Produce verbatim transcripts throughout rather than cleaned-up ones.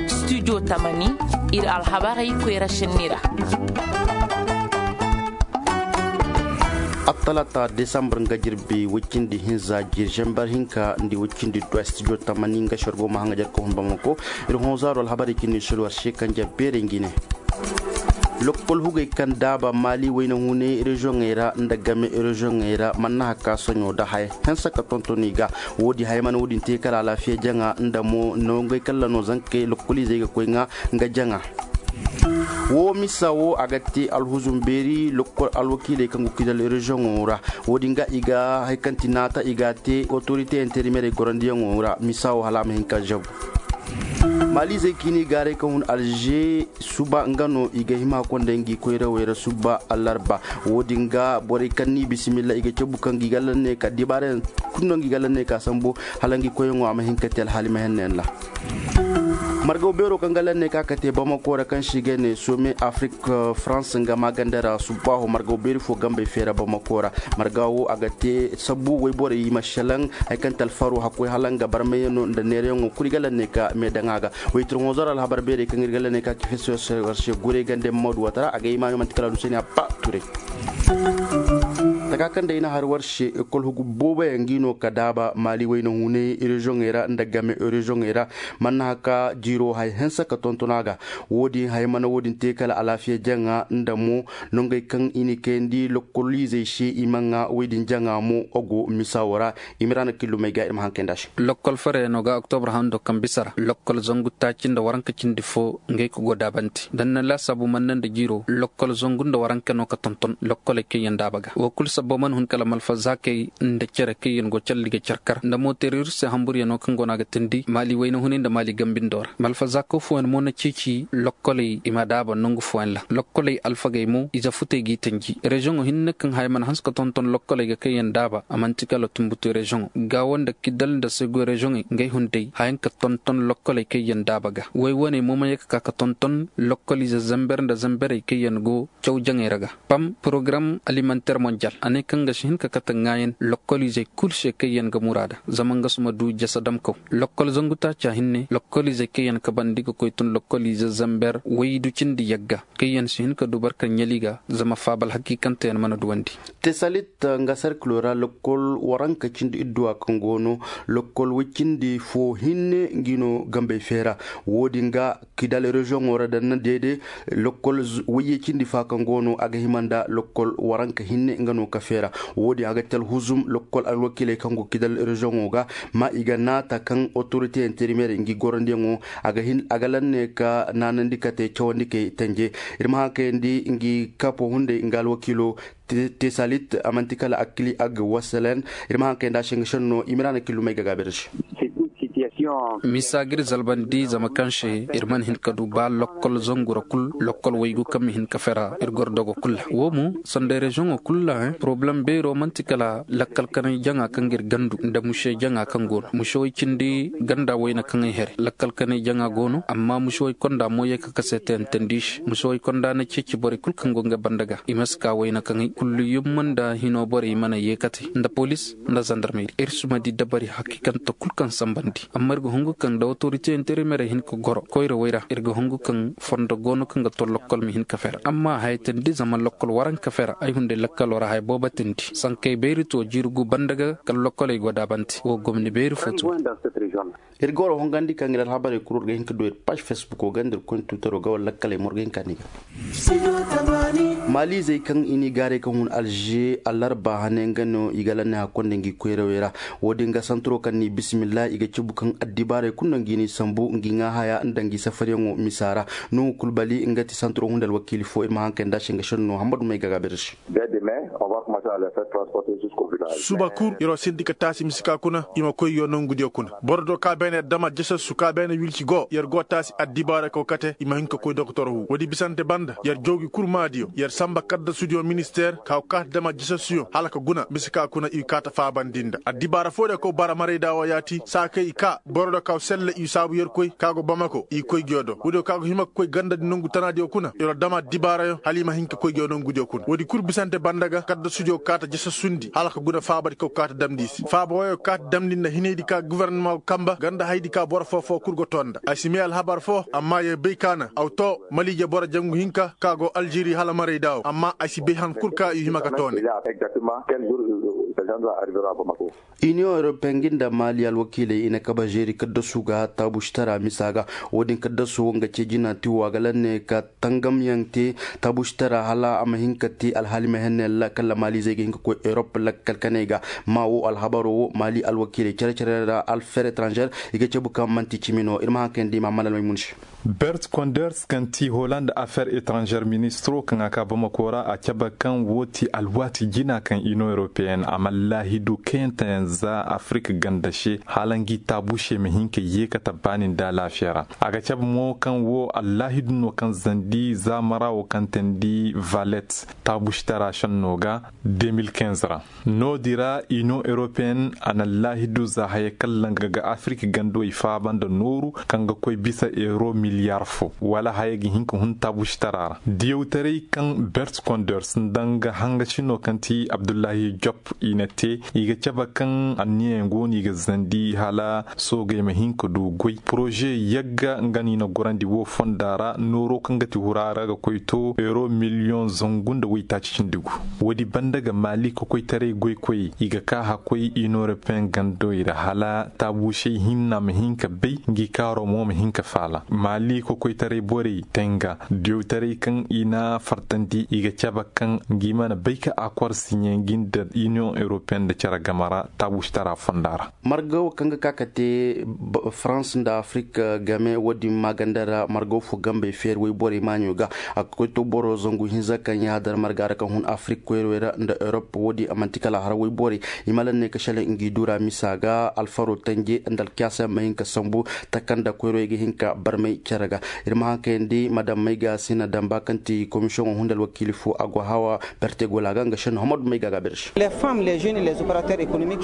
Studio tamani, ir alhabarey koyra šenni ra. Attalata desambur nga jirbi woy cindi hinza jir zambar hinka nda woy cindi duwa studio tamani nga šergo ma haŋa jar ka hun bamako. Ir honzaaro alhabarey cindi sulu war se kanja beerey ngi ne. Lokkol hugey kaŋ daaba maali wayna hunay reziyoŋey ra nda game reziyoŋey ra mana haka soɲo nda haya, hanse ka tonton i ga. Woodi haya mana woodin te kala alaafiya jaŋa nda mo nongey kalla no zankey lokkoliizey ga koy ŋaa nga jaŋa. Woo misa woo a ga te alhuzum beeri lokkol alwakiiley kaŋ go kidal reziyoŋo ra. Woodin ga i ga hari kaŋ ti naata i ga a te otorite interimerey gorandiyaŋo ra misa woo hala a ma hin ka zabu. Maaliizey kaŋ i n'i gaaray ka hun alze suba nga no i ga hima konda ngi koyrawey ra suba alarba. Woodin ga borey kaŋ n'i bisimilla i ga cabu kaŋ ngi galla ne ka dibaarayaŋ kulu no ngi galla ne ka sambu hala ngi koyyaŋo a ma hin ka te alhaali mahannayaŋ ra. Margaw beero kaŋ galla ne ka ka te bamako ra kaŋ se i ga ne some afrik, farans nga maaganda ra subbaaho margaw beeri fo gambey feera bamako ra. Marga wo a ga te sabbu woy borey i ma šelaŋ. Hari kaŋ te alfaro hakkoy hala nga barmayaŋo nda neerayaŋo kulu i galla ne ka meedaŋ a ga. Woy tirhonzor alhabar beerey kaŋ ir galla ne ka kifeso war se guray gande mammadu wata ra a ga i maayo manti kala du se ne a ba turay. Taka kaŋ day na har war se ekol hugu booboyaŋ ngi no ka daaba maali wayna hunay reziyoŋey ra nda game reziyoŋey ra. Mana haka jiiro hay hanse ka tonton a ga. Woodin hay mana woodin te kala alaafiya jaŋa nda mo nongey kaŋ i ni kayandi lokkoliizey se i ma ŋaa woodin jaŋa mo a go misa wo ra. Imiraana killumey ga ir ma haŋ kayndi a se. Lokkol farayaŋo ga oktobra hando kaŋ bisa ra lokkol zangu taaci nda waranka cindi fo ngey ka go daabante da ni na laasaabu manne nda jiiro lokkol zangu nda waranka no ka tonton lokkoley kaŋ yaŋ daaba ga wo kulu sabba mana hun kala malfazaakey nda cere kaŋ yaŋ go calli ga carkar nda mootereer se hamburyaŋo kaŋ go no a ga tindi maali wayna hunay nda maali gambindo ra malfazaako fooyaŋ mo na ceeci lokkoley i ma daaba nangu fooyaŋ ra lokkoley alfagey mo ize futey g'i tanji reziyoŋo hinne kaŋ haya mana hanse ka tonton lokkoley ga kaŋ yaŋ daaba a man'ti kala tumbutu reziyoŋo gaawo nda kidal nda sego reziyoŋey ngey hunday hayaŋ ka tonton lokkoley kaŋ yaŋ daaba ga woy wane mo ma ye ka ka ka tonton lokkoliize zamber nda zamberey kaŋ yaŋ go caw jaŋey ra ga pam porogaram alimanter monjal a ne kaŋ ga si hin ka kate ŋaayan lokkoliizey kul se kaŋ yaŋ ga muraada zama nga si ma du jasa damkaw lokkol zangu taaca hinne lokkoliizey kaŋ yaŋ kabandi ga koy tun lokkoliize zamber waydu cindi yagga kaŋ yaŋ si hin ka du barka ɲali ga zama faabal hakiikanteyaŋ mana duwandi. Tesalit nga sarkilo ra lokkol waranka cindi idduwa kaŋ go no lokkol woy cindi fo hinne ngi no gambey feera. Wo-din ga kidal reziyoŋo ra daŋ na deede lokkol wayye cindi fa kaŋ go no a ga hima nda lokkol waranka hinne nga no ka feera. Wo-din a ga te alhuzum lokkol alwakiiley kaŋ go kidal reziyoŋo ga ma i ga naata kaŋ otorite interimeer ngi gorandiyaŋo a ga hin a ga lanne ka naanandi kate cawandi kay tanje. Ir ma haŋ kayandi ngi kapo hunday nga alwakiilo tesalit a man'ti kala akili ag wasalen. Ir ma haŋ kayandi a se nga senno imiraana kilumey ga gaabir se. Misa ga ir zalbandi zama kaŋ se ir mana hin ka du ba lokkol zangu ra kul lokkol waygu kaŋ ma hin ka fera ir goro dogo kul ra wo mo sanda reziyoŋo kul ra porobalem beero man'ti kala lakkal kanay jaŋa kaŋ ga ir gandu nda muse jaŋa kaŋ go no muse way cindi ganda wayna kaŋay here lakkal kanay jaŋa go no amma muse way konda mo ye ka kase teyantandi se muse way konda na ceeci borey kul kaŋ go nga banda ga i ma si ka wayna kaŋay kullu yumma nda hino borey mana ye kate nda polis nda zandarmeri ir si ma di dabari hakiikante kul kaŋ sambandi amma ir ga hungu kaŋ nda otorite interimeerey hin ka goro koyra way ra ir ga hungu kaŋ fondo go no kaŋ ga tollo kol ma hin ka fera amma haya tindi zama lokkol waranka fera ay hunday lakkalo ra haya boobo tindi sankey beeri to jiiri gu banda ga kala lokkoley go daabante wo gomni beeri fo to. Ir goro hongandi kaŋ ir alhabarey kul war ga hin ka du ir paaž fesbuko ga nda ir koy twitero ga wala lakkaley mo war ga hin ka ni ga. Maaliizey kaŋ i n'i gaaray kaŋ hun alže alarba hane nga no i ga lanne hakkonda ngi koyrawey ra. Wo-din ga santuro kaŋ n'i bisimilla i ga cabu kaŋ addibaarey kulu no ngi n'i sambu ngi ŋaa haya nda ngi safaryaŋo misa ra. Nuhu kulbali nga ti santuro hunda alwakiili fo ir ma haŋ kay nda a se nga senno hammadu may ga gaabir se. Suba kul yer wo sindi ka taasi mise ka kuna i ma koy yo nongudiyo kuna boro do ka beene dama jesesu ka beene wilci go yer go taasi addibaara kaw kate i ma hin ka koy doktor hu woodi bisante banda yer joogi kul maadiyo yer. Samba kaddasudiyo ministeer ka go kaati dama jasasuyo hala ka guna bisa ka kuna i kaata faabandi nda addibaara foo diyo kaw bara marayda woo yaati saa kay i kaa boro diyo ka go selle i saabu yerkoy ka go bamako i koy nguyo do woodiyo ka go hima ka koy gandadi nongu tanaadiyo kuna yer dama addibaarayo hala i ma hin ka koy nguyo nongudiyo kuna woodi kul bisante banda ga kaddasudiyo kaata jasasundi hala ka guna faabadi kaw kaata damndi i se faaba wooyo kaata damndi nda hinaydi ka gofornama go kamba ganda hayadi ka boro foo foo kul go too nda ay si may alhabar foo amma yer bay ka na aw too maliije boro jangu hinka ka go aljeri hala marayda woo amma ay si bay han kul ka i hima ka too ne. Iniyoŋ europeyen gi nda maali alwakiiley i na kaba žeeri kaddasu ga taabušitara misa ga. Woodin kaddasu wo nga cee jina ti wo a ga lanne ka tangamyaŋ te taabušitara hala a ma hin ka te alhaali ma henne ra kaŋ ra maalizey ga hin ka koy erop lakkal kaney ga. Ma wo alhabaro wo maali alwakiiley cere-cere ra alfer etranžer i ga cabu kaŋ man'ti cimi no ir ma haŋ kayandi i ma a malal maymun se. Bert konders kaŋ ti holand affaire etranžer ministiro kaŋ a ka bamako ra a cabe kaŋ wo ti alwaati jina kaŋ iniyoŋ europeyen a ma laahidu kayanteyaŋ za afirik ganda se hala ngi taabušey ma hin ka yeekata baani nda alaafiya ra. A ga cabe mo kaŋ wo allaahidu no kaŋ zandi zaamara wo kaŋ teendi valet taabušitara šenno ga. De mil kinz ra no- din ra iniyoŋ europeyen a na laahidu za haya kaŋ langa ga afirik gandawey faaba nda nooru kaŋ ga koy bisa euro miliyar fo wala haya ga hin ka hun taabušitara ra diyawtaray kaŋ bert konders nda nga hangacino kaŋ ti abdullahi jop i na te i ga cabe kaŋ anniyayaŋ go no i ga zandi hala soogey ma hin ka du goy poroze yagga nga no i na gorandi wo fonda ra nooro kaŋ ga ti hura ra ga koy to euro miliyoŋ zangu nda waytaaci cindi gu. Woodi banda ga maali kokoytaray goykoyey i ga ka hakkoy iniyoŋ europeyen gandawey ra hala taabuusey hinna ma hin ka bay ngi kaaro mo ma hin ka faala maali kokoytaray borey tenga diyawtaray kaŋ i na fartandi i ga cabe kaŋ ngi mana bay ka akor siɲe ngi nda iniyoŋ europeyen nda cere game ra taabuusitara fonda ra. Marga wo kaŋ ga ka ka te farans nda afirik game wo- din maaganda ra marga wo fo gambey feeri woyborey maaɲo ga. A ga koy to boro zangu hinza kaŋ yaadar marga ra kaŋ hun afirik koyrowey ra nda erop wo- din a man'ti kala a har woyborey. I ma laŋ ne ka šelaŋ ngi dura misa ga alfaro tanje nda alkiyaasa ma hin ka sambu taka nda koyrowey ga hin ka barmay cere ga. Ir ma haŋ kayandi madam mayga sina damba kaŋ ti komisiyoŋo hunda alwakiili fo a go hawa. Bertegola ga nga šenno hamadu mayga ga berse.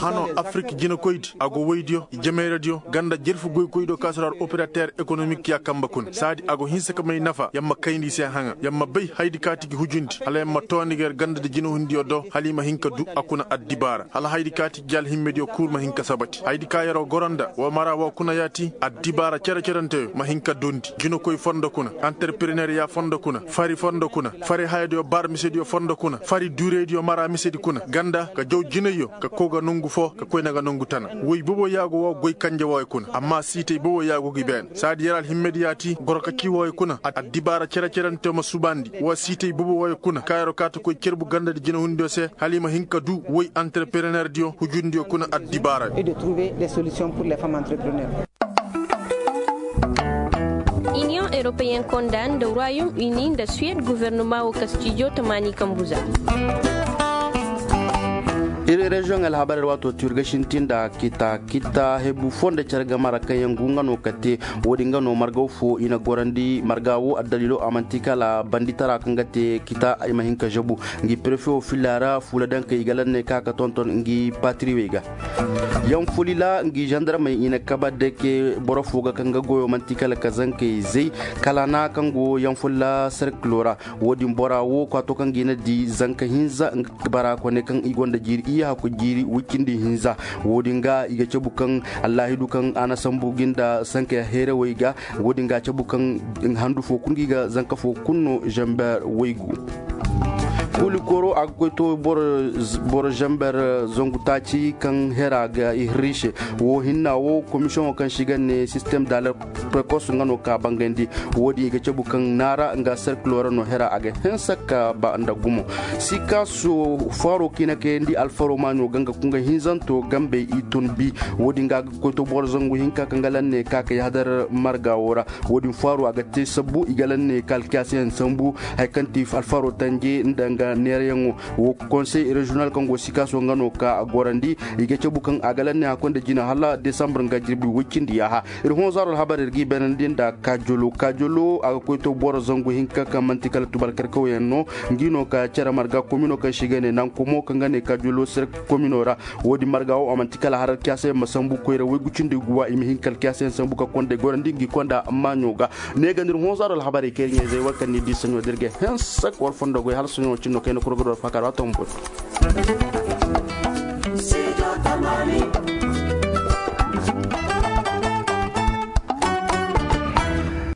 Hano afirik jinakoydi a go woydiyo i jamayradiyo ganda jerfu goykoydiyo ka si ra operater ekonomik ya kambe kuna saadi a go hinsa ka may nafa yer ma kayndi i se haŋa yer ma bay hayadi ka ti gi hujundi hala yer ma toondi ga yer gandadi jinahundiyo do hala i ma hin ka du a kuna addibaara hala hayadi ka ti gi alhimmediyo kul ma hin ka sabati hayadi ka yer'o goro nda woo mara woo kuna yaati addibaara cere-cerenteyo ma hin ka dundi jinakoy fondo kuna anterperener ya fondo kuna fari fondo kuna fari hayadiyo bar misediyo fondo kuna fari dureydiyo mara misedi kuna ganda ka jaw jinayyo ka kow ga nongu foo ka koyne ga nongu tana woy bobo yaago woo goy kanje wooyo kuna amma siitay bobo yaago gi beene saadi yer alhimmediyaati goro ka ci wooyo kuna addibaara cere-cerenteyo ma subandi woo siitay bobo wooyo kuna kaayaro kaata koy cerbu gandadi jinahundiyo se hala i ma hin ka du woy anterperenerdiyo hujundiyo kuna addibaarayo. Iniyoŋ europeyen konda nda royaume uni nda suwed gofornoma wo kastijo tamaani kambu za. Ir reziyoŋ alhabarey ra waato ti ir ga sinti nda kita kita hebu fo nda care game ra kaŋ yaŋ gu nga no ka te. Wo-din nga no margaw fo i na gorandi marga wo addaliilo a manti kala banditara kaŋ ga te kita ay ma hin ka zabu. Ngi prefe wo filla ra fuula daŋ kay i ga lanne ka ka tonton ngi patiriwey ga. Yaŋ fuli ra ngi zandarmey i na kaba deke boro fo ga kaŋ ga goyo manti kala ka zankey zay kala na kaŋ go yaŋ fuli ra serkilo ra. Wo-din bora wo kwaato kaŋ ga i na di zanka hinza nga bara kone kaŋ i gonda jiiri iyya hakku jiiri wicindi hinza. Wo-din ga i ga cabu kaŋ allaahidu kaŋ a na sambu gi nda sanka heerawey ga. Wo-din ga a cabu kaŋ handu fo kulu ngi ga zanka fo kulu no zamber waygu. Kuli koro a ga koy to boro zamber zangu taaci kaŋ hera ga i hirri se. Wo hinna wo komisiyoŋo kaŋ se i ga ne sistem da alert prekos nga no ka bangandi. Wo-din i ga cabu kaŋ naara nga serkilo ra no hera a ga hense ka ba nda gumo. Sikaso faro kaŋ i na kayandi alfaro maaɲo ga nga kunga hinzanto gambey i tun bi. Wo-din ga a ga koy to boro zangu hinka kaŋ ga lanne ka ka yaadar marga wo ra. Wo-din faro a ga te sabbu i ga lanne ka alkiyaasiyaŋ sambu. Hari kaŋ ti alfaro tanje nda nga Neerayaŋo wo konsey reziyonal kaŋ go sikaaso nga no ka gorandi. I ga cabu kaŋ a ga lanne hakkoy nda jina hala desambur nga jirbi woy cindi yaaha. Ir hõ zaaro alhabar ir g'i beenandi nda kajolo kajolo a ga koy to boro zangu hinka kaŋ man'ti kala tubal karkawyaŋ no. Ngi no ka cere marga komino kaŋ se i ga ne nankomo kaŋ ga ne kajolo sere komino ra. Wo-din marga wo a man'ti kala har alkiyaasa yaŋ ma sambu koyra woy gu cindi guwa i ma hin ka alkiyaasa yaŋ sambu ka konda ay gorandi ngi konda maaɲo ga. Ne ga nda ir hõ zaaro alhabarey kaŋ ir ɲayzey war kaŋ ni di saɲo da ir ga hanse ka war fondo goy hala saɲo cindi no kaŋ ay na kuru ga du war faaka ra waati wo ma boy.